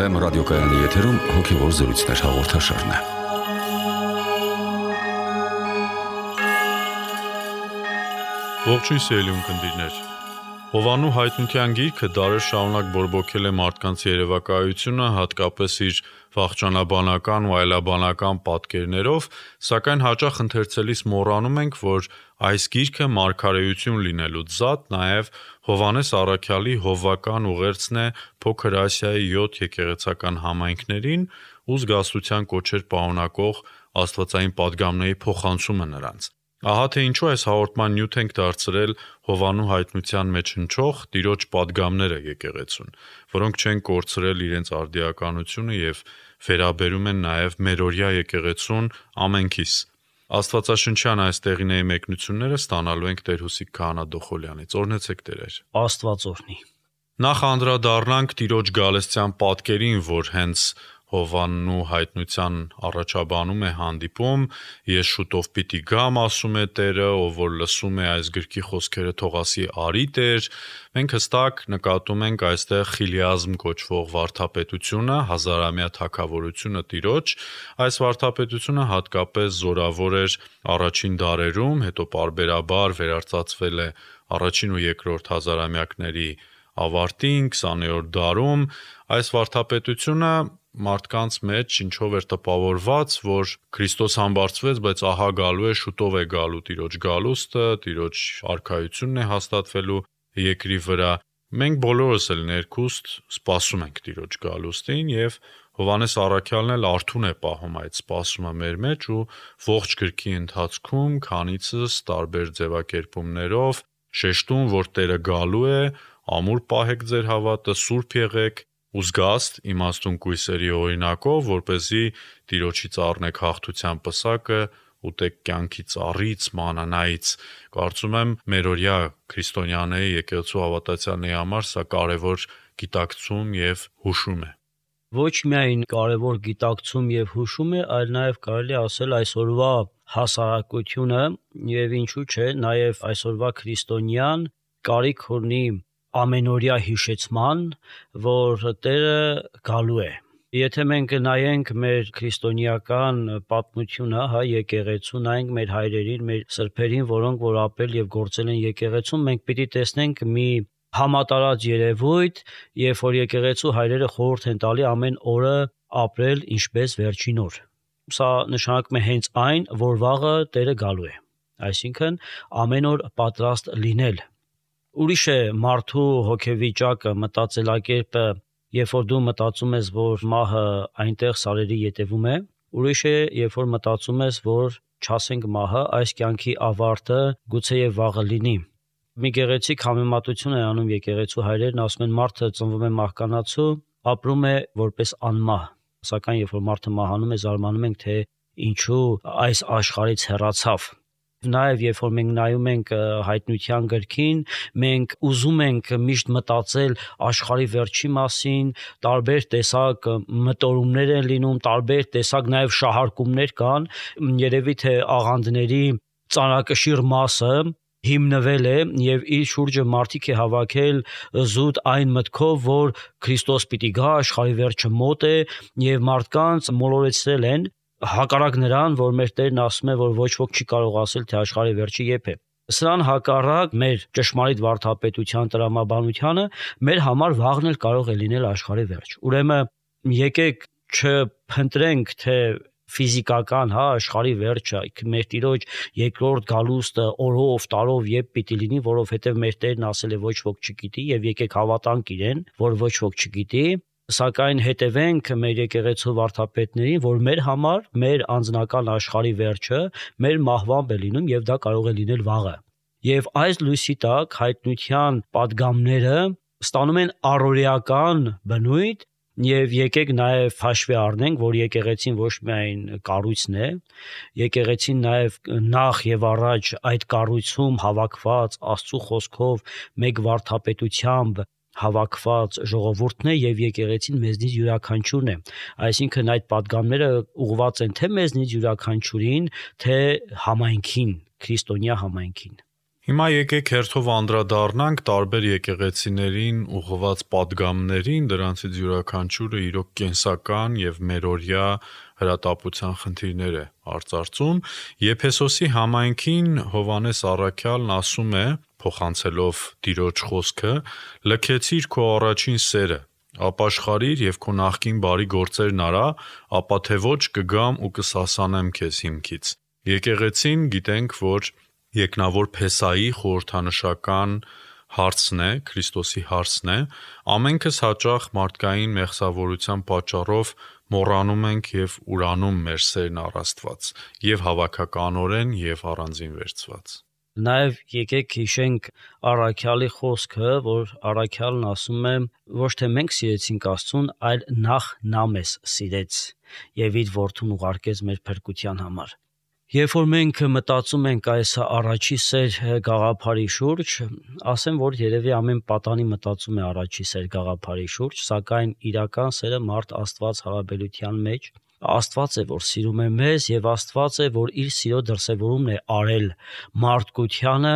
Վեմ ռադիոկայանի եթերում հոգևոր զրույցներ հաղորդաշարն է։ Ողջույն սիրելի ունկնդիրներ։ Հովանու հայտնության գիրքը դարեր շարունակ բորբոքել է մարդկանց երևակայությունը, հատկապես իր վախճանաբանական ու այլաբանական պատկերներով, սակայն հաճախ ընթերցելիս մոռանում ենք, որ այս գիրքը մարգարեություն լինելուց զատ նաև Հովհաննես առաքյալի հովվական ուղերձն է Փոքր Ասիայի 7 եկեղեցական համայնքներին ու զգաստության կոչեր պարունակող աստվածային պատգամների փոխանցումը նրանց։ Ահա թե ինչու այս հաղորդման նյութ ենք դարձրել Հովանու հայտնության մեջ հնչող տիրոջ պատգամները եկեղեցուն, որոնք չեն կորցրել իրենց արդիականությունը եւ վերաբերում են նաեւ մերօրյա եկեղեցուն ամենքիս։ Աստվածաշնչյան այս տեղիների մեկնությունները ստանալու ենք Տեր Հուսիկ Քահանա Դոխոլյանից։ Օրհնեցեք Տերեր։ Աստված օրհնի։ Նախ անդրադառնանք տիրոջ գալստյան պատկերին, որ հենց Հովաննու հայտնության առաջաբանում է հանդիպում, ես շուտով պիտի գամ, ասում է Տերը, ով որ լսում է այս գրքի խոսքերը թող ասի արի Տեր։ Մենք հստակ նկատում ենք այստեղ խիլիազմ կոչվող վարդապետությունը, հազարամյա թագավորությունը տիրոջ։ Այս վարդապետությունը հատկապես զորավոր էր առաջին դարերում, հետո պարբերաբար վերարտացվել է առաջին ու երկրորդ հազարամյակների ավարտին 20-րդ դարում։ Այս վարդապետությունը մարդկանց մեջ ինչով էր տպավորված, որ Քրիստոս համբարձվեց, բայց ահա գալու է, շուտով է գալու տիրոջ գալուստը, տիրոջ արքայությունն է հաստատվելու երկրի վրա։ Մենք բոլորս էլ ներքուստ սպասում ենք տիրոջ գալուստին եւ Հովհաննես առաքյալն էլ արթուն է պահում այդ սպասումը մեր մեջ ու ողջ գրքի ընթացքում քանիցս տարբեր ձևակերպումներով շեշտում, որ Տերը գալու է, ամուր պահեք ձեր հավատը, սուրբ եղեք ու զգաստ իմաստուն կույսերի օրինակով, որպեսզի տիրոջից առնեք հաղթության պսակը, ուտեք կյանքի ծառից, մանանայից։ Կարծում եմ մերօրյա քրիստոնյաների եկեղեցու հավատացյալների համար սա կարևոր գիտակցում եւ հուշում է։ Ոչ միայն կարևոր գիտակցում եւ հուշում է, այլ նաեւ կարելի ասել այսօրվա հասարակությունը եւ ինչու՞ չէ, նաեւ այսօրվա քրիստոնյան կարիք ունի ամենօրյա հիշեցման, որ Տերը գալու է։ Եթե մենք նայենք մեր քրիստոնեական պատմությունը, եկեղեցու, նայենք մեր հայրերին, մեր սրբերին, որոնք որ ապրել եւ գործել են եկեղեցում, մենք պիտի տեսնենք մի համատարած երևույթ, երբ որ եկեղեցու հայրերը խորհուրդ են տալի ամեն օրը ապրել ինչպես վերջին օր։ Սա նշանակում է հենց այն, որ վաղը Տերը գալու է։ Այսինքն ամեն օր պատրաստ լինել։ Ուրիշ է մարդու հոգեվիճակը, մտածելակերպը, երբ որ դու մտածում ես, որ մահը այնտեղ սարերի ետևում է, ուրիշ է, երբ որ մտածում ես, որ չասենք մահը այս կյանքի ավարտը գուցեև վաղը լինի։ Մի գեղեցիկ համեմատություն է անում եկեղեցու հայրերն, ասում են մարդը ծնվում է մահկանացու, ապրում է որպես անմահ, սակայն երբ որ մարդը մահանում է, զարմանում ենք, թե ինչու այս աշխարհից հեռացավ։ Նաև երբ որ մենք նայում ենք հայտնության գրքին, մենք ուզում ենք միշտ մտածել աշխարհի վերջի մասին, տարբեր տեսակ մտորումներ են լինում, տարբեր տեսակ նաև շահարկումներ կան, երևի թե աղանդների ծանրակշիռ մասը հիմնվել է եւ իր շուրջը մարդիկ է հավաքել զուտ այն մտքով, որ Քրիստոս պիտի գա, աշխարհի վերջը մոտ է եւ մարդկանց մոլորեցրել են հակառակ նրան, որ մեր Տերն ասում է, որ ոչ ոք չի կարող ասել, թե աշխարհի վերջը երբ է։ Սրան հակառակ մեր ճշմարիտ վարդապետության տրամաբանությանը մեր համար վաղն էլ կարող է լինել աշխարհի վերջ։ Ուրեմն եկեք չփնտրենք, թե ֆիզիկական, աշխարհի վերջը, մեր Տիրոջ երկրորդ գալուստը օրով, տարով երբ պիտի լինի, որովհետև մեր Տերն ասել է ոչ ոք չգիտի եւ եկեք հավատանք իրեն, որ ոչ ոք չգիտի, սակայն հետևենք մեր եկեղեցու վարդապետներին, որ մեր համար մեր անձնական աշխարհի վերջը մեր մահվամբ է լինում եւ դա կարող է լինել վաղը։ Եվ այս լույսի տակ հայտնության պատգամները ստանում են առօրեական բնույթ եւ եկեք նաեւ հաշվի առնենք, որ եկեղեցին ոչ միայն կառույցն է, եկեղեցին նաեւ նախ եւ առաջ այդ կառույցում հավաքված Աստծո խոսքով մեկ վարդապետությամբ հավաքված ժողովուրդն է եւ եկեղեցին մեզնից յուրաքանչյուրն է։ Այսինքն այդ պատգամները ուղղված են թե մեզնից յուրաքանչյուրին, թե համայնքին, քրիստոնյա համայնքին։ Հիմա եկեք հերթով անդրադառնանք տարբեր եկեղեցիներին ուղղված պատգամներին, դրանցից յուրաքանչյուրը իրոք կենսական եւ մերօրյա հրատապության խնդիրներ է արծարծում։ Եփեսոսի համայնքին Հովհաննես առաքյալն ասում է, փոխանցելով Տիրոջ խոսքը. «Լքեցիր քո առաջին սերը, ապաշխարիր եւ քո նախկին բարի գործերն արա, ապա թե ոչ կգամ ու կսասանեմ քեզ հիմքից»։ Եկեղեցին գիտենք, որ Եկնավոր Փեսայի խորհրդանշական հարցն է, Քրիստոսի հարցն է, ամենքս հաճախ մարդկային մեղսավորության պատճառով մոռանում ենք եւ ուրանում մեր սերն առ Աստված, եւ հավաքականորեն եւ առանձին վերցված։ Նաև եկեք հիշենք առաքյալի խոսքը, որ առաքյալն ասում է, ոչ թե մենք սիրեցինք Աստծուն, այլ նախ նա մեզ սիրեց եւ իր որդուն ուղարկեց մեր փրկության համար։ Երբ որ մենք մտածում ենք այս առաջի սեր գաղափարի շուրջ, ասեմ, որ երևի ամեն պատանի մտածում է առաջի սեր գաղափարի շուրջ, սակայն իրական սերը մարդ Աստված հարաբերության մեջ Աստված է, որ սիրում է մեզ, եւ Աստված է, որ իր սիրո դրսևորումն է արել մարդկությանը,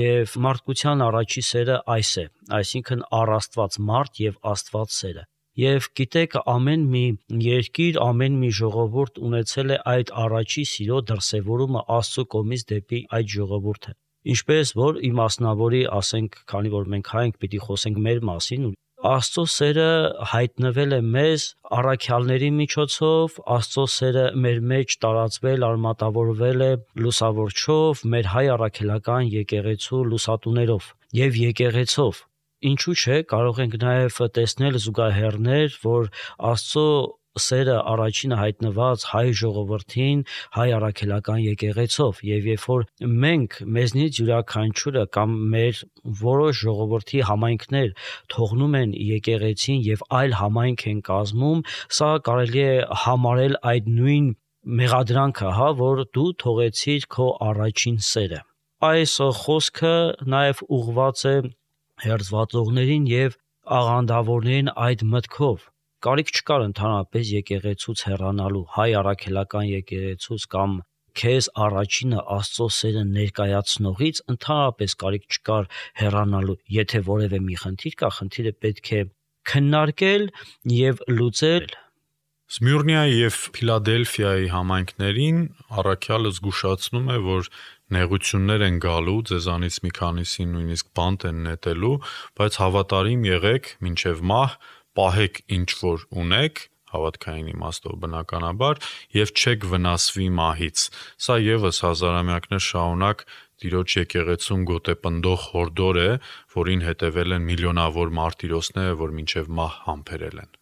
եւ մարդկության առաջի սերը այս է, այսինքն առ Աստված մարդ եւ Աստված սերը։ Եվ գիտեք, ամեն մի երկիր, ամեն մի ժողովուրդ ունեցել է այդ առաջի սիրո դրսևորումը Աստծո կողմից դեպի այդ ժողովուրդը։ Ինչպես որ իմասնավորի, ասենք, քանի որ մենք հայ ենք, պիտի խոսենք մեր մասին, Աստծո սերը հայտնվել է մեզ առաքյալների միջոցով, Աստծո սերը մեր մեջ տարածվել, արմատավորվել է լուսավորչով, մեր հայ առաքելական եկեղեցու լուսատուներով եւ եկեղեցով։ Ինչու՞ չէ, կարող ենք նաև տեսնել զուգահեռներ, որ Աստծո սերը առաջինը հայտնված հայ ժողովրդին, հայ առաքելական եկեղեցով, եւ երբ որ մենք մեզնից յուրաքանչյուրը կամ մեր որոշ ժողովրդի համայնքներ թողնում են եկեղեցին եւ այլ համայնք են կազմում, սա կարելի է համարել այդ նույն մեղադրանքը, որ դու թողեցիր քո առաջին սերը։ Այս խոսքը նաև ուղղված է հերձվածողներին եւ աղանդավորներին այդ մտքով։ Կարիք չկար ընդհանրապես եկեղեցուց հեռանալու, հայ առաքելական եկեղեցուց կամ քեզ առաջինը Աստծո սերը ներկայացնողից ընդհանրապես կարիք չկար հեռանալու, եթե որևէ մի խնդիր կա, խնդիրը պետք է քննարկել եւ լուծել։ Սմյուրնիայի եւ Փիլադելֆիայի համայնքներին առաքյալը զգուշացնում է, որ նեղություններ են գալու, ձեզանից մի քանիսին նույնիսկ բանտ են նետելու, բայց հավատարիմ եղեք մինչև մահ, պահեք ինչ որ ունեք, հավատքային իմաստով բնականաբար, եւ չեք վնասվի մահից։ Սա եւս հազարամյակներ շարունակ Տիրոջ եկեղեցում գոտեպնդող հորդոր է, որին հետևել են միլիոնավոր մարտիրոսները, որ մինչև մահ համբերել են։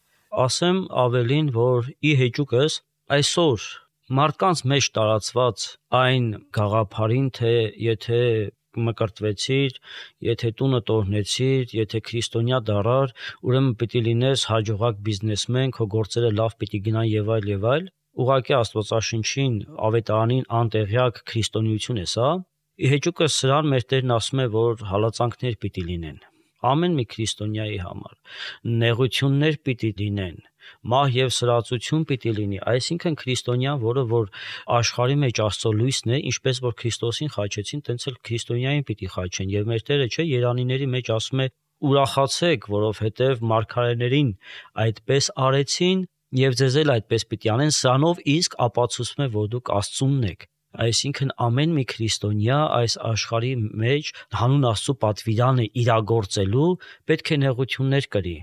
Ասեմ ավելին, որ ի հեճուկս այսօր մարդկանց մեջ տարածված այն գաղափարին, թե եթե մկրտվեցիր, եթե տունը տոհնեցիր, եթե քրիստոնյա դառար, ուրեմն պիտի լինես հաջողակ բիզնեսմեն, քո գործերը լավ պիտի գնան եւ այլ, ուղղակի Աստվածաշնչին, ավետարանին անտեղյակ քրիստոնեություն է սա։ Ի հեճուկս սրան մեր Տերն ասում է, որ հալածանքներ պիտի լինեն ամեն մի քրիստոնյայի համար, նեղություններ պիտի լինեն, մահ եւ սրածություն պիտի լինի, այսինքն քրիստոնյան, որը որ աշխարհի մեջ Աստծո լույսն է, ինչպես որ Քրիստոսին խաչեցին, տենց էլ քրիստոնյային պիտի խաչեն, եւ մեր Տերը չէ Երանիների մեջ ասում է. ուրախացեք, որովհետեւ մարգարեներին այդպես արեցին եւ ձեզ էլ այդպես պիտի անեն, սրանով իսկ ապացուցում է, որ դուք Աստծունն եք։ Այսինքն ամեն մի քրիստոնյա այս աշխարհի մեջ հանուն Աստծո պատվիրանը իրագործելու պետք է նեղություններ կրի։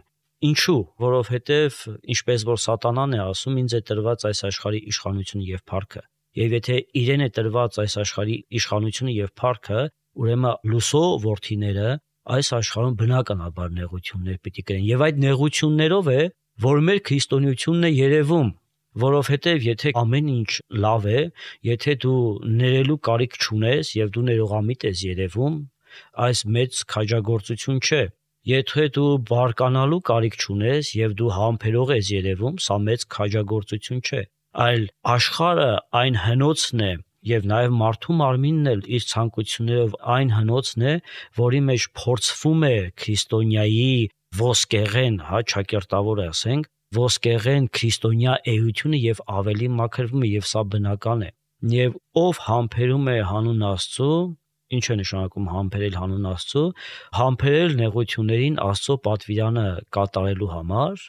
Ինչու՞, որովհետև ինչպես որ Սատանան է ասում, ինձ է տրված այս աշխարհի իշխանությունը եւ փառքը։ Եվ եթե իրեն է տրված այս աշխարհի իշխանությունը եւ փառքը, ուրեմն լուսո որդիները այս աշխարհում բնականաբար նեղություններ պիտի կրեն։ Եվ այդ նեղություններով է, որ մեր քրիստոնեությունն է երևում, որովհետև եթե ամեն ինչ լավ է, եթե դու ներելու կարիք չունես եւ դու ներողամիտ ես երևում, այս մեծ քաջագործություն չէ։ Եթե դու բարկանալու կարիք չունես եւ դու համբերող ես երևում, սա մեծ քաջագործություն չէ, այլ աշխարհը այն հնոցն է եւ նաեւ մարդու մարմինն էլ իր ցանկություններով այն հնոցն է, որի մեջ փորձվում է քրիստոնյայի ոսկեղեն, ճակերտավոր ասենք, ոսկեղեն քրիստոնյա էությունը եւ ավելի մաքրվում է եւ սա բնական է։ Եվ ով համբերում է հանուն Աստծո, Ինչ է նշանակում համբերել հանուն Աստծո։ Համբերել նեղություններին Աստծո պատվիրանը կատարելու համար։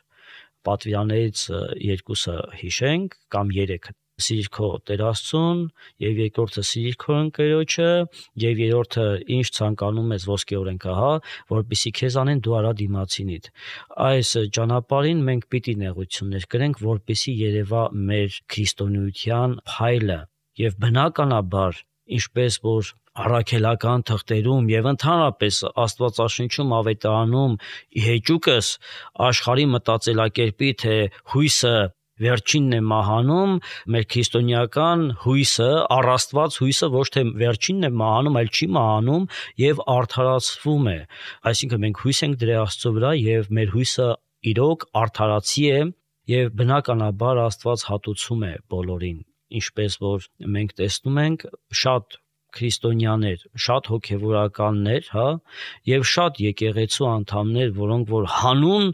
Պատվիրաններից երկուսը հիշենք կամ 3. Սիրիր քո Տեր Աստծուն, եւ երկրորդը սիրիր քո ընկերոջը, եւ երրորդը ինչ ցանկանում ես ոսկեորեն կահա, որպեսզի քեզ անեն դու արա դիմացինիդ։ Այս ճանապարհին մենք պիտի նեղություններ կրենք, որպեսզի երևա մեր քրիստոնեության փայլը, եւ բնականաբար, ինչպես որ առաքելական թղթերում եւ ընդհանրապես Աստվածաշնչում ավետարանում հեճուկս աշխարհի մտածելակերպի թե հույսը վերջինն է մահանում, մեր քրիստոնեական հույսը, առաստված հույսը ոչ թե վերջինն է մահանում, այլ չի մահանում եւ արդարացվում է։ Այսինքն մենք հույս ենք դրել Աստծո վրա եւ մեր հույսը իրոք արդարացի է եւ բնականաբար Աստված հատուցում է բոլորին, ինչպես որ մենք տեսնում ենք շատ քրիստոնյաներ, շատ հոգևորականներ, եւ շատ եկեղեցու անդամներ, որոնք որ հանուն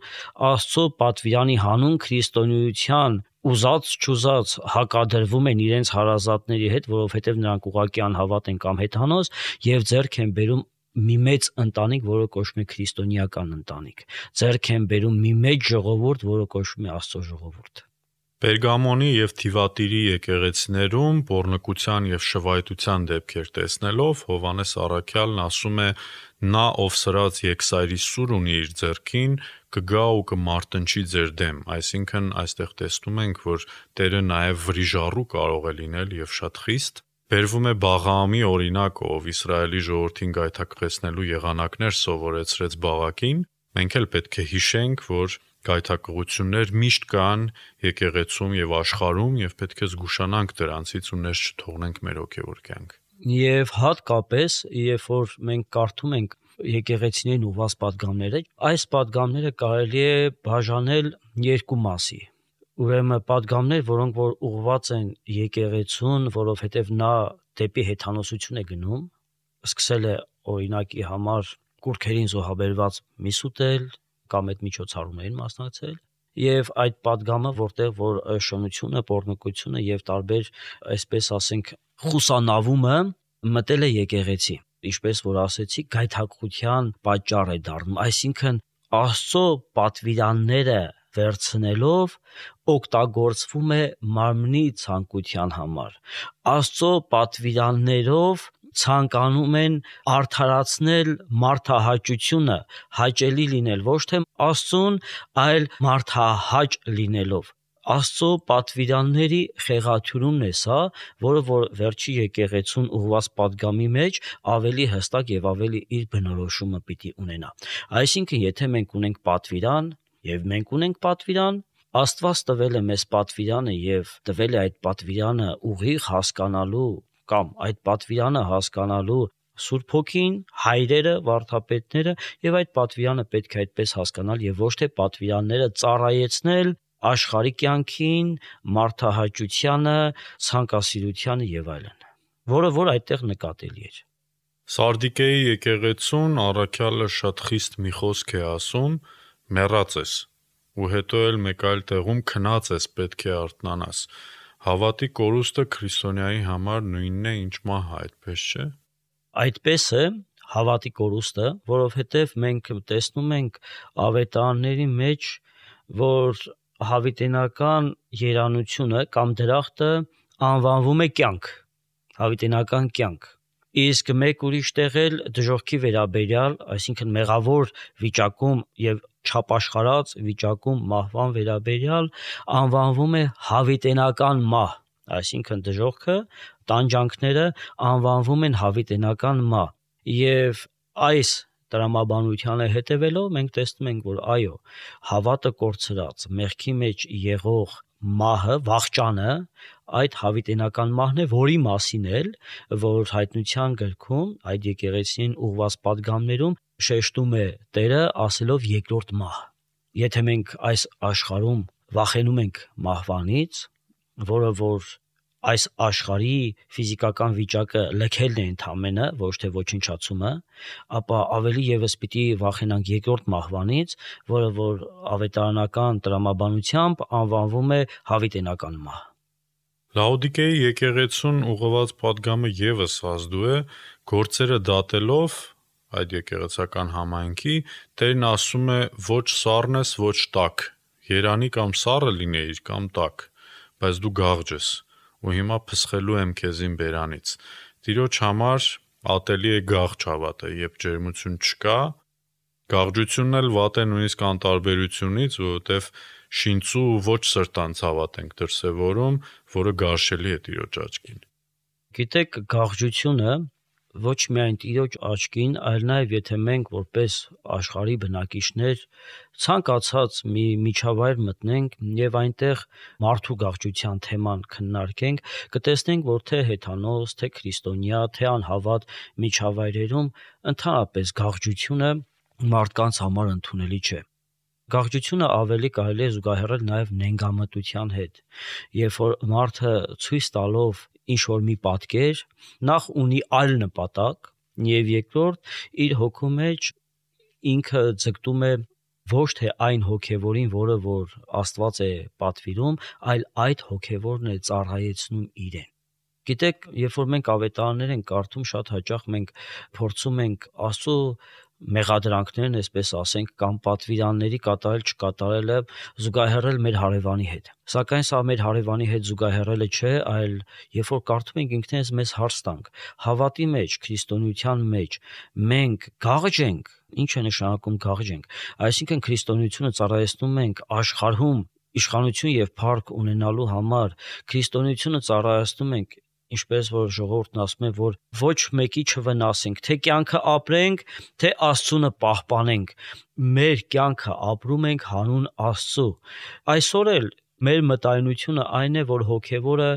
Աստծո պատվիրանի, հանուն քրիստոնեության ուզած-չուզած հակադրվում են իրենց հարազատների հետ, որովհետեւ նրանք ուղղակի անհավատ են կամ հետանոց եւ ձեռք են բերում մի մեծ ընտանիք, որը կոչվում է քրիստոնեական ընտանիք։ Ձեռք են բերում մի մեծ ժողովուրդ, որը կոչվում է Աստծո ժողովուրդ։ Պերգամոնի եւ Թիվատիրի եկեղեցիներում բորնկության եւ շվայտության դեպքեր տեսնելով Հովհաննես առաքյալն ասում է. նա ով սրած եկսայրի սուր ունի իր ձեռքին կգա ու կմարտնչի ձեր դեմ, այսինքն այստեղ տեսնում ենք, որ Տերը նաեւ վրիժառու կարող է լինել եւ շատ խիստ։ Բերվում է Բաղաամի օրինակը, ով Իսրայելի ժողովրդին գայթակղեցնելու եղանակներ սովորեցրեց Բաղակին։ Մենք էլ պետք է հիշենք, որ գայթակղություններ միշտ կան եկեղեցում եւ աշխարհում եւ պետք է զգուշանանք դրանցից ու ներս չթողնենք մեր հոգեվոր կյանք։ Եվ հատկապես, երբ որ մենք կարդում ենք եկեղեցիներին ուղված պատգամները, այս պատգամները կարելի է բաժանել երկու մասի։ Ուրեմն պատգամներ, որոնք որ ուղված են եկեղեցուն, որովհետեւ նա դեպի հեթանոսություն է գնում, սկսել է օրինակի համար կուրքերին զոհաբերված միս ուտել կամ այդ միջոցառումներին մասնակցել, եւ այդ պատգամը, որտեղ որ շնությունը, պոռնկությունը եւ տարբեր, այսպես ասենք, խուսանավումը մտել է եկեղեցի, ինչպես որ ասեցի, գայթակղության պատճառ է դառնում, այսինքն Աստծո պատվիրանները վերցնելով օգտագործվում է մարմնի ցանկության համար։ Աստծո պատվիրաններով ցանկանում են արդարացնել մարդահաճությունը, հաճելի լինել ոչ թե Աստծուն, այլ մարդահաճ լինելով։ Աստծո պատվիրանների խեղաթյուրումն է սա, որը որ վերջի եկեղեցուն ուղված պատգամի մեջ ավելի հստակ եւ ավելի իր բնորոշումը պիտի ունենա։ Այսինքն, եթե մենք ունենք պատվիրան եւ մենք ունենք պատվիրան, Աստված տվել է մեզ պատվիրանը եւ տվել է այդ պատվիրանը ուղիղ հասկանալու կամ այդ պատվիրանը հասկանալու Սուրբ Հոգին, հայրերը, վարդապետները եւ այդ պատվիրանը պետք է այդպես հասկանալ եւ ոչ թե պատվիրանները ծառայեցնել աշխարհի կյանքին, մարդահաճությանը, ցանկասիրությանը եւ այլն, որը որ այդտեղ նկատելի է։ Սարդիկեի եկեղեցուն առաքյալը շատ խիստ մի խոսք է ասում. մեռած ես, ու հետո էլ մեկ այլ տեղում քնած ես, պետք է արթնանաս։ Հավատի կորուստը քրիստոնյայի համար նույնն է, ինչ մահը, այդպես չէ։ Այդպես է հավատի կորուստը, որովհետև մենք տեսնում ենք ավետարանների մեջ, որ հավիտենական երանությունը կամ դրախտը անվանվում է կյանք, հավիտենական կյանք։ Իսկ մեկ ուրիշ տեղ էլ դժոխքի վերաբերյալ, այսինքն մեղավոր վիճակում եւ չապաշխարած վիճակում մահվան վերաբերյալ անվանվում է հավիտենական մահ, այսինքն դժոխքը, տանջանքները անվանվում են հավիտենական մահ։ Եվ այս տրամաբանությանը հետևելով մենք տեսնում ենք, որ այո, հավատը կորցրած, մեղքի մեջ եղող մահը, վախճանը, այդ հավիտենական մահն է, որի մասին էլ, որ հայտնության գրքում, այդ եկեղեցին ուղված պատգամներում շեշտում է Տերը ասելով երկրորդ մահ։ Եթե մենք այս աշխարհում վախենում ենք մահվանից, որը որ այս աշխարհի ֆիզիկական վիճակը լքելն է ընդամենը, ոչ թե ոչնչացումը, ապա ավելի եւս պիտի վախենանք երկրորդ մահվանից, որը որ ավետարանական տրամաբանությամբ անվանվում է հավիտենական մահ։ Լաոդիկեի եկեղեցուն ուղղված պատգամը ևս ազդու է, գործերը դատելով այդ եկեղեցական համայնքի, Տերն ասում է ոչ սառն ես, ոչ տաք, երանի կամ սառը լինեիր կամ տաք, բայց դու գաղջ ես, ու հիմա փսխելու եմ քեզին բերանից։ Տիրոջ համար ատելի է գաղջ հավատը, երբ ջերմություն չկա, գաղջությունն էլ վատ է նույնիսկ անտարբերությունից, որովհետև շինծու ոչ սրտանց հավատ ենք դրսևորում, որը գարշելի է Տիրոջ աչքին։ Գիտեք, գաղջությունը ոչ միայն Տիրոջ աչքին, այլ նաև եթե մենք որպես աշխարհի բնակիչներ ցանկացած մի միջավայր մտնենք եւ այնտեղ մարդու գաղջության թեման քննարկենք, կտեսնենք, որ թե հեթանոս, թե քրիստոնյա, թե անհավատ միջավայրերում ընդհանրապես գաղջությունը մարդկանց համար ընդունելի չէ։ Գաղջությունը ավելի կարելի է զուգահեռել նաև նենգամտության հետ, երբ որ մարդը ցույց տալով ինչ-որ մի պատկեր, նախ ունի այլ նպատակ, եւ երկրորդ իր հոգու մեջ ինքը ձգտում է ոչ թե այն հոգևորին, որը որ Աստված է պատվիրում, այլ այդ հոգևորն է ծառայեցնում իրեն։ Գիտեք, երբ որ մենք ավետարաններ ենք կարդում, շատ հաճախ մենք փորձում ենք Աստծո մեղադրանքներն, այսպես ասենք, կամ պատվիրանների կատարել չկատարելը զուգահեռել մեր հարևանի հետ։ Սակայն սա մեր հարևանի հետ զուգահեռելը չէ, այլ երբ որ կարդում ենք ինքներս մեզ հարց տանք, հավատի մեջ, քրիստոնեության մեջ մենք գաղջ ենք, ինչ է նշանակում գաղջ ենք։ Այսինքն քրիստոնեությունը ծառայեցնում ենք աշխարհում իշխանություն եւ փառք ունենալու համար, քրիստոնեությունը ծառայեցնում ենք ինչպես որ ժողովուրդն ասում է, որ ոչ մեկի չվնասենք, թե կյանքը ապրենք, թե Աստծունը պահպանենք, մեր կյանքը ապրում ենք հանուն Աստծո։ Այսօր էլ մեր մտայնությունը այն է, որ հոգևորը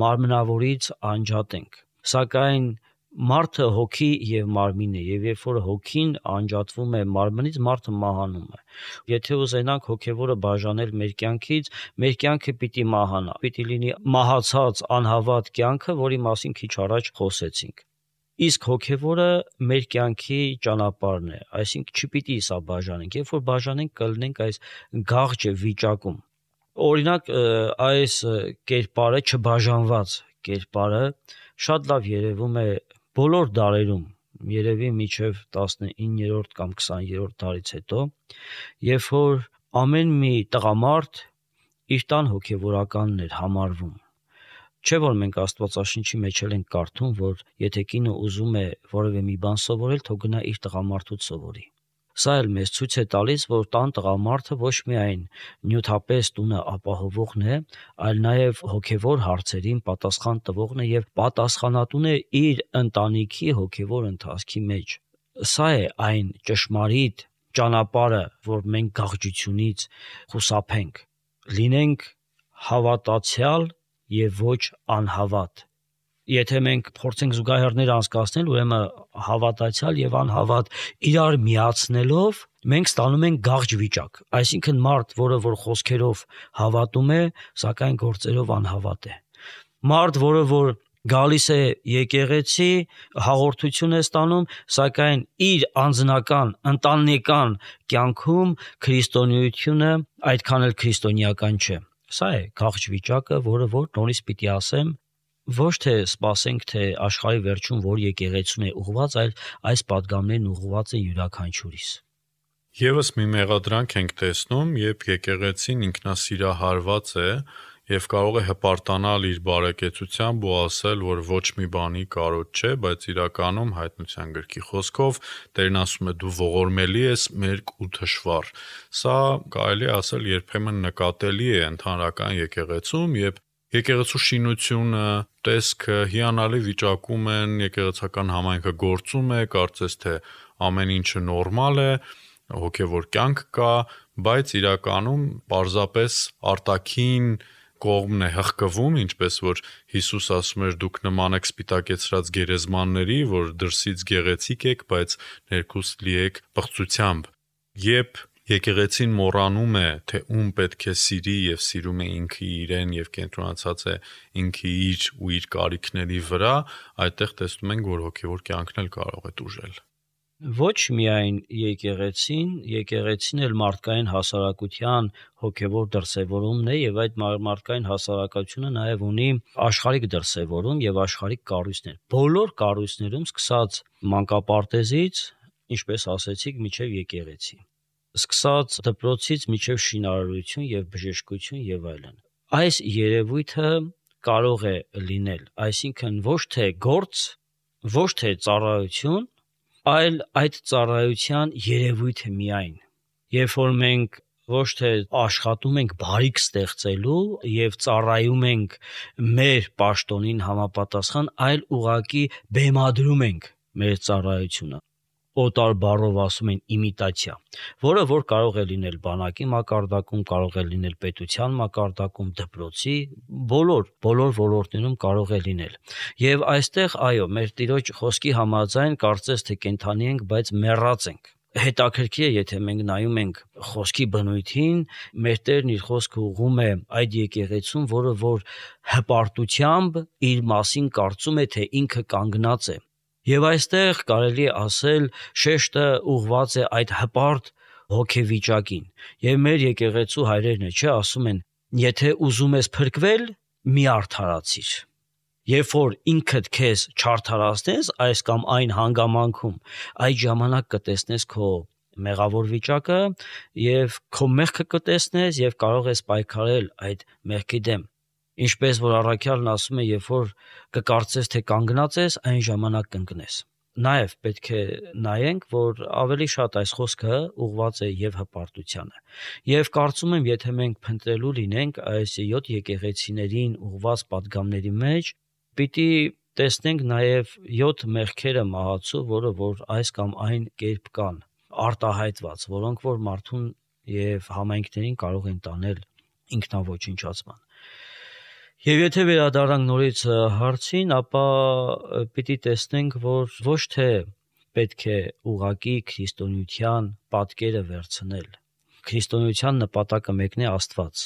մարմնավորից անջատենք, սակայն մարդը հոգի եւ մարմին է, եւ երբ որ հոգին անջատվում է մարմնից, մարդը մահանում է։ Եթե ուզենանք հոգևորը բաժանել մեր կյանքից, մեր կյանքը պիտի մահանա, պիտի լինի մահացած անհավատ կյանքը, որի մասին քիչ առաջ խոսեցինք։ Իսկ հոգևորը մեր կյանքի ճանապարհն է, այսինքն չպիտի սա բաժանենք, երբ որ բաժանենք կլինենք այս գաղջը վիճակում։ Օրինակ այս կերպարը չբաժանված կերպարը շատ լավ երևում է բոլոր դարերում, երևի մինչև 19-րդ կամ 20-րդ դարից հետո, երբ որ ամեն մի տղամարդ իր տան հոգևորականն էր համարվում։ Չէ որ մենք Աստվածաշնչի մեջ ենք կարդում, որ եթե կինը ուզում է որևէ մի բան սովորել, թող գնա իր տղամարդուց սովորի։ Սա էլ մեզ ցույց է տալիս, որ տան տղամարդը ոչ միայն նյութապես տունը ապահովողն է, այլ նաև հոգևոր հարցերին պատասխան տվողն է եւ պատասխանատուն է իր ընտանիքի հոգևոր ընթացքի մեջ։ Սա է այն ճշմարիտ ճանապարհը, որ մենք գաղջությունից խուսափենք, լինենք հավատացյալ եւ ոչ անհավատ։ Եթե մենք փորձենք զուգահեռներ անցկացնել, ուրեմն հավատացյալ եւ անհավատ իրար միացնելով մենք ստանում ենք գաղջ վիճակ, այսինքն մարդ, որը որ խոսքերով հավատում է, սակայն գործերով անհավատ է։ Մարդ, որը որ գալիս է եկեղեցի, հաղորդություն է ստանում, սակայն իր անձնական, ընտանեկան կյանքում քրիստոնեությունը այդքան էլ քրիստոնեական չէ։ Սա է գաղջ վիճակը, որը որ նորից պիտի ասեմ, ոչ թե սպասենք, թե աշխարհի վերջում որ եկեղեցուն է ուղղված, այլ այս պատգամներն ուղղված են յուրաքանչյուրիս։ Եվս մի մեղադրանք ենք տեսնում, երբ եկեղեցին ինքնասիրահարված է եւ կարող է հպարտանալ իր բարեկեցությամբ ու ասել, որ ոչ մի բանի կարոտ չէ, բայց իրականում հայտնության գրքի խոսքով Տերն ասում է դու ողորմելի ես, մերկ ու թշվառ։ Սա կարելի է ասել երբեմն նկատելի է ընդհանրական եկեղեցում, երբ եկեղեցու շինությունը, տեսքը հիանալի վիճակում են, եկեղեցական համայնքը գործում է, կարծես թե ամեն ինչը նորմալ է, հոգևոր կյանք կա, բայց իրականում պարզապես արտաքին կողմն է հղկվում, ինչպես որ Հիսուս ասում էր դուք նման եք սպիտակեցրած գերեզմանների, որ դրսից գեղեցիկ եք, բայց ներքուստ լի եք պղծությամբ։ Երբ եկեղեցին մոռանում է, թե ում պետք է սիրի եւ սիրում է ինքը իրեն եւ կենտրոնացած է ինքը իր ու իր կարիքների վրա, այդտեղ տեսնում ենք, որ հոգևոր կյանքն էլ կարող է տուժել։ Ոչ միայն եկեղեցին էլ մարդկային հասարակության հոգևոր դրսևորումն է եւ այդ մարդկային հասարակությունը նաեւ ունի աշխարհիկ դրսևորում եւ աշխարհիկ կառույցներ։ Բոլոր կառույցներում սկսած մանկապարտեզից, ինչպես ասեցիք, միջև եկեղեցի։ Սկսած դպրոցից միջև շինարարություն եւ բժշկություն եւ այլն։ Այս երևույթը կարող է լինել, այսինքն ոչ թե գործ, ոչ թե ծառայություն, այլ այդ ծառայության երևույթը միայն։ Երբ որ մենք ոչ թե աշխատում ենք բարիք ստեղծելու եւ ծառայում ենք մեր պաշտոնին համապատասխան, այլ ուղղակի բեմադրում ենք մեր ծառայությունը։ Օտար բառով ասում են իմիտացիա, որը որ կարող է լինել բանակի մակարդակում, կարող է լինել պետության մակարդակում, դպրոցի, բոլոր ոլորտներում կարող է լինել։ Եւ այստեղ, այո, մեր Տիրոջ խոսքի համաձայն կարծես թե կենթանի ենք, բայց մեռած ենք։ Հետաքրքիր է, եթե մենք նայում ենք խոսքի բնույթին, մեր Տերն իր խոսքը ուղղում է այդ եկեղեցուն, որը որ հպարտությամբ իր մասին կարծում է, թե ինքը կանգնած է։ Եվ այստեղ կարելի է ասել շեշտը ուղղված է այդ հպարտ հոգեվիճակին։ Եվ մեր եկեղեցու հայրերն ասում են, եթե ուզում ես փրկվել, մի արդարացիր։ Երբ որ ինքդ քեզ չարդարացնես այս կամ այն հանգամանքում, այդ ժամանակ կտեսնես քո մեղավոր վիճակը եւ քո մեղքը կտեսնես եւ կարող ես պայքարել այդ մեղքի դեմ։ Ինչպես որ առաքյալն ասում է, երբ որ կկարծես թե կանգնած ես, այն ժամանակ կընկնես։ Նաև պետք է նայենք, որ ավելի շատ այս խոսքը ուղղված է եւ հպարտությանը։ Եվ կարծում եմ, եթե մենք փնտրելու լինենք այս 7 եկեղեցիներին ուղղված պատգամների մեջ, պիտի տեսնենք նաև 7 մեղքերը մահացու, որը որ այս կամ այն կերպ կան, արտահայտված, որոնք որ մարդուն եւ համայնքներին կարող են տանել ինքնաոչնչացման։ Եվ եթե վերադառնանք նորից հարցին, ապա պիտի տեսնենք, որ ոչ թե պետք է ուղղակի քրիստոնեության պատկերը վերցնել։ Քրիստոնեության նպատակը մեկն է Աստված։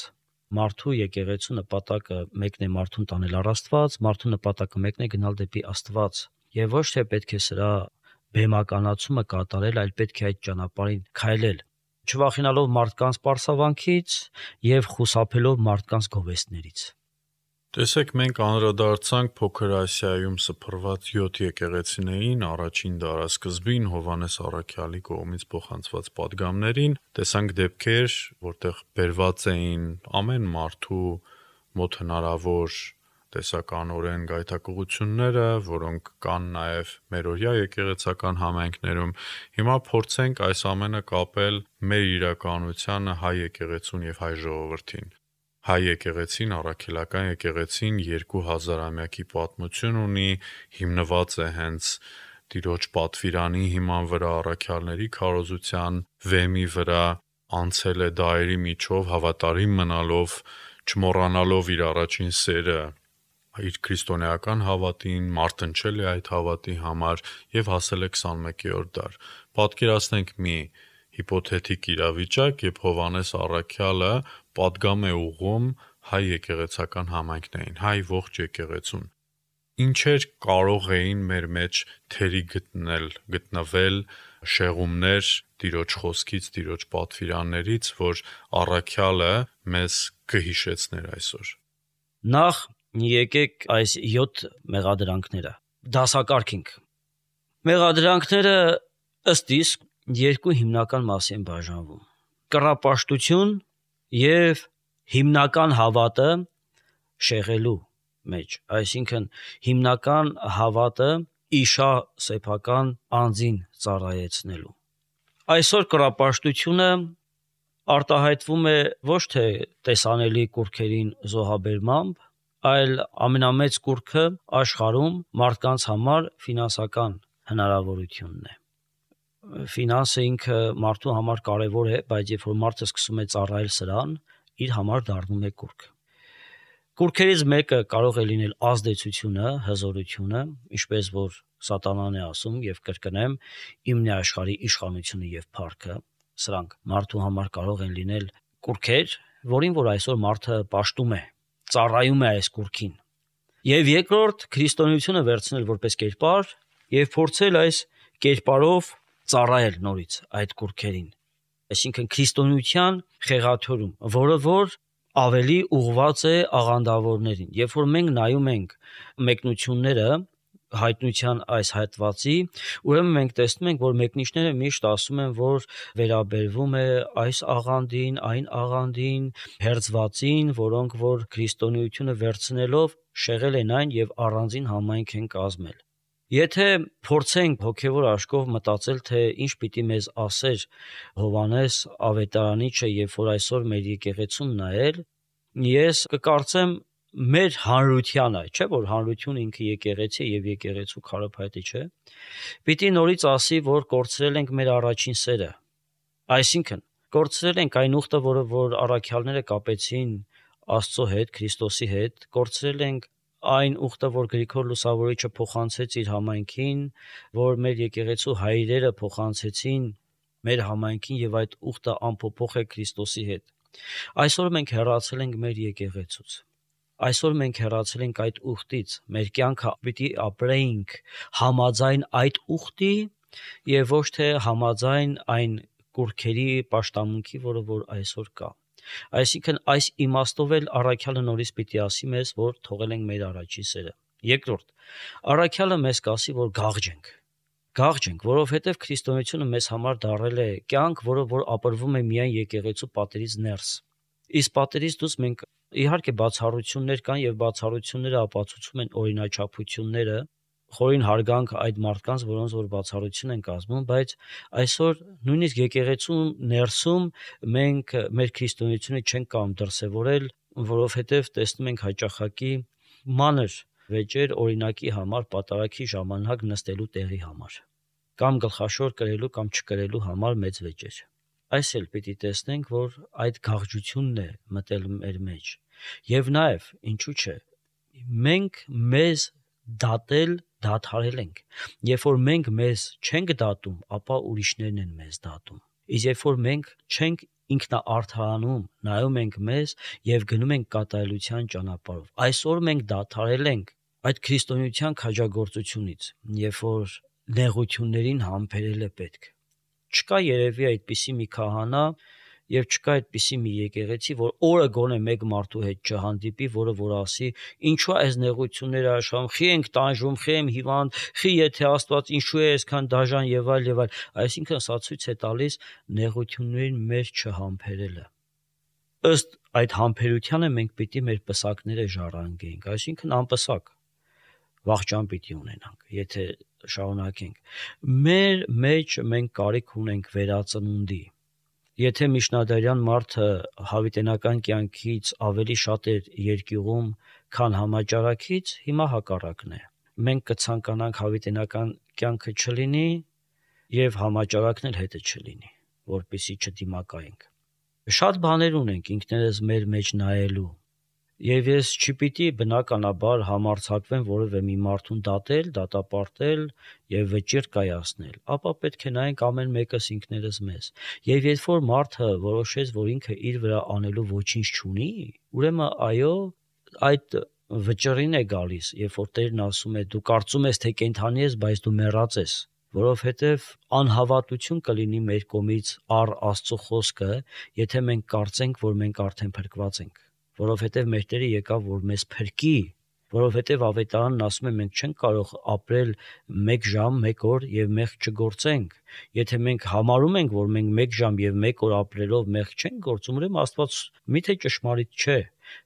Մարդու եկեղեցու նպատակը մեկն է մարդուն տանել առ Աստված, մարդու նպատակը մեկն է գնալ դեպի Աստված։ Եվ ոչ թե պետք է սրա բեմականացումը կատարել, այլ պետք է այդ ճանապարհին քայլել, չվախենալով մարդկանց պարսավանքից եւ խուսափելով մարդկանց գովեստներից։ Տեսեք, մենք անդրադարձանք Փոքր Ասիայում սփռված 7 եկեղեցիներին, առաջին դարասկզբին Հովհաննես առաքյալի կողմից փոխանցված պատգամներին, տեսանք դեպքեր, որտեղ բերված էին ամեն մարդու մոտ հնարավոր տեսականորեն գայթակղությունները, որոնք կան նաև մերօրյա եկեղեցական համայնքներում։ Հիմա փորձենք այս ամենը կապել մեր իրականությանը, հայ եկեղեցուն եւ հայ ժողովրդին։ Հայ եկեղեցին, առաքելական եկեղեցին 2000-ամյակի պատմություն ունի, հիմնված է հենց Տիրոջ պատվիրանի հիման վրա, առաքյալների քարոզության վեմի վրա, անցել է դարերի միջով, հավատարիմ մնալով, չմոռանալով իր առաջին սերը, իր քրիստոնեական հավատին, մարտնչել է այդ հավատի համար եւ հասել է 21-րդ դար։ Պատկերացնենք մի հիպոթետիկ իրավիճակ, երբ Հովհաննես առաքյալը պատգամ է ուղղում հայ եկեղեցական համայնքներին, հայ ողջ եկեղեցուն։ Ինչեր կարող էին մեր մեջ թերի գտնվել շեղումներ Տիրոջ խոսքից, Տիրոջ պատվիրաններից, որ առաքյալը մեզ կհիշեցներ այսօր։ Նախ եկեք այս 7 մեղադրանքները դասակարգենք։ Մեղադրանքները ըստ իսկ երկու հիմնական մասի են բաժանվում։ Կռապաշտություն եւ հիմնական հավատը շեղելու մեջ, այսինքն հիմնական հավատը իշա սեփական անձին ծառայեցնելու։ Այսօր կռապաշտությունը արտահայտվում է ոչ թե տեսանելի կուրքերին զոհաբերմամբ, այլ ամենամեծ կուրքը աշխարհում մարդկանց համար ֆինանսական հնարավորությունն է։ Ֆինանսը ինքը մարդու համար կարևոր է, բայց երբ որ մարդը սկսում է ծառայել սրան, իր համար դառնում է կուրք։ Կուրքերից մեկը կարող է լինել ազդեցությունը, հզորությունը, ինչպես որ Սատանան է ասում եւ կրկնեմ, իմն է աշխարհի իշխանությունը եւ փառքը։ Սրանք մարդու համար կարող են լինել կուրքեր, որին որ այսօր մարդը պաշտում է, ծառայում է այս կուրքին։ Եվ երկրորդ, քրիստոնեությունը վերցնել որպես կերպար եւ փորձել այս կերպարով ծառայել նորից այդ կուռքերին։ Այսինքն քրիստոնեության խեղաթյուրում, որը որ ավելի ուղղված է աղանդավորներին։ Երբ որ մենք նայում ենք մեկնությունները հայտնության այս հատվածի, ուրեմն մենք տեսնում ենք, որ մեկնիչները միշտ ասում են, որ վերաբերվում է այս աղանդին, այն աղանդին, հերձվածին, որոնք որ քրիստոնեությունը վերցնելով շեղել են այն եւ առանձին համայնք են կազմել։ Եթե փորձենք հոգևոր աշխով մտածել, թե ինչ պիտի մեզ ասեր Հովհաննես Ավետարանիչը, երբ որ այսօր մեր եկեղեցում նայել, ես կկարծեմ մեր հանրությանը, չէ՞ որ հանրությունը ինքը եկեղեցի եւ եկեղեցու քարոփայտի չէ, պիտի նորից ասի, որ կորցրել ենք մեր առաջին սերը։ Այսինքն, կորցրել ենք այն ուխտը, որը որ առաքյալները կապեցին Աստծո հետ, Քրիստոսի հետ, կորցրել ենք այն ուխտը, որ Գրիգոր Լուսավորիչը փոխանցեց իր համայնքին, որ մեր եկեղեցու հայրերը փոխանցեցին մեր համայնքին եւ այդ ուխտը անփոփոխ է Քրիստոսի հետ։ Այսօր մենք հեռացել ենք մեր եկեղեցուց։ Այսօր մենք հեռացել ենք այդ ուխտից։ Մեր կյանքը պիտի ապրեինք համաձայն այդ ուխտի եւ ոչ թե համաձայն այն կուռքերի պաշտամունքի, որը որ այսօր կա։ Այսինքն այս իմաստով էլ առաքյալը նորից պիտի ասի մեզ, որ թողել ենք մեր առաջի սերը։ Երկրորդ, առաքյալը մեզ կասի, որ գաղջենք, որովհետև քրիստոնեությունը մեզ համար դարել է կյանք, որը որ ապրվում է միայն եկեղեցու պատերից ներս։ Իսկ պատերից դուրս մենք իհարկե բացառություններ կան եւ բացառությունները ապացուցում են օրինաչափությունները, խորին հարգանք այդ մարդկանց, որոնց որ բացառություն են կազմում, բայց այսօր նույնիսկ եկեղեցու ներսում մենք մեր քրիստոնեությունը չենք կարող դրսևորել, որովհետև տեսնում ենք հաճախակի մանր վեճեր օրինակի համար, պատարագի ժամանակ նստելու տեղի համար, կամ գլխաշոր կրելու կամ չկրելու համար մեծ վեճեր։ Այս էլ պիտի տեսնենք, որ այդ գաղջությունն է մտել մեր մեջ։ Եվ նաև, ինչու՞ չէ, մենք մեզ դադարել ենք։ Երբ որ մենք մեզ չենք դատում, ապա ուրիշներն են մեզ դատում։ Իսկ երբ որ մենք չենք ինքնաարդարանում, նայում ենք մեզ եւ գնում ենք կատարելության ճանապարհով։ Այսօր մենք դադարել ենք այդ քրիստոնեության քաջագործությունից, երբ որ նեղություններին համբերել է պետք։ Չկա երևի այդպիսի մի քահանա եւ չկա այդպիսի մի եկեղեցի, որ օրը գոնե մեկ մարդու հետ չհանդիպի, որը որ ասի, ինչու այս նեղությունները աշխարհում, խի ենք տանջում, խի եմ հիվանդ, խի եթե Աստված ինչու է այսքան դաժան եւ այլ եւ այլ։ Այսինքն սա ցույց է տալիս նեղություններին մեր չհամբերելը։ Ըստ այդ համբերությանը մենք պիտի մեր պսակները ժառանգենք, այսինքն անպսակ վախճան պիտի ունենանք, եթե շարունակենք։ Մեր մեջ մենք կարիք ունենք վերածնունդի։ Եթե միջնադարյան մարդը հավիտենական կյանքից ավելի շատ էր երկյուղում, քան համաճարակից, հիմա հակառակն է։ Մենք կցանկանանք հավիտենական կյանքը չլինի եւ համաճարակն էլ հետը չլինի, որպեսզի չդիմակայենք։ Շատ բաներ ունենք ինքներս մեր մեջ նայելու։ Եվ ես չպիտի բնականաբար համարձակվեմ որևէ մի մարդուն դատել, դատապարտել եւ վճիռ կայացնել, ապա պետք է նայենք ամեն մեկս ինքներս մեզ։ Եվ երբ որ մարդը որոշեց, որ ինքը իր վրա անելու ոչինչ չունի, ուրեմն այո, այդ վճռին է գալիս, երբ որ Տերն ասում է դու կարծում ես թե կենդանի ես, բայց դու մեռած ես, որովհետեւ անհավատություն կլինի մեր կողմից առ Աստծո խոսքը, եթե մենք կարծենք, որ մենք արդեն փրկված ենք։ Որովհետև մեր Տերը եկավ, որ մեզ փրկի, որովհետև ավետարանն ասում է մենք չենք կարող ապրել 1 ժամ, 1 օր եւ մեղք չգործենք։ Եթե մենք համարում ենք, որ մենք 1 ժամ եւ 1 օր ապրելով մեղք չենք գործում, ուրեմն Աստված միթե ճշմարիտ չէ։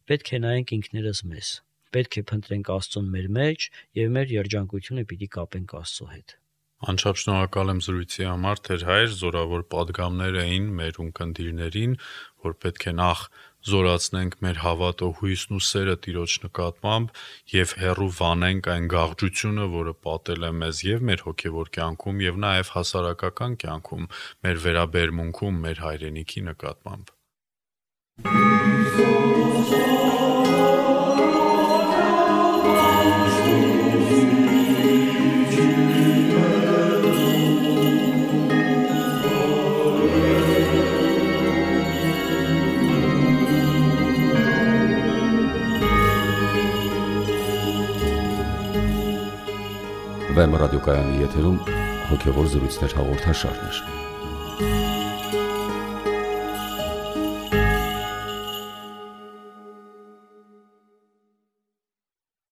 Պետք է նայենք ինքներս մեզ։ Պետք է փնտրենք Աստծուն մեր մեջ եւ մեր երջանկությունը պիտի կապենք Աստծո հետ։ Անչափ շնորհակալ եմ զրույցի համար, Թեր հայր, զորավոր պատգամներ էին մեր ունկնդիրներին, որ պետք է նախ զորացնենք մեր հավատը, հույսն ու սերը Տիրոջ նկատմամբ եւ հեռու վանենք այն գաղջությունը, որը պատել է մեզ եւ մեր հոգեվոր կյանքում եւ նաեւ հասարակական կյանքում, մեր վերաբերմունքում մեր հայրենիքի նկատմամբ։ Վեմ ռադիոկայանի եթերում հոգևոր զրույցներ հաղորդաշարն է։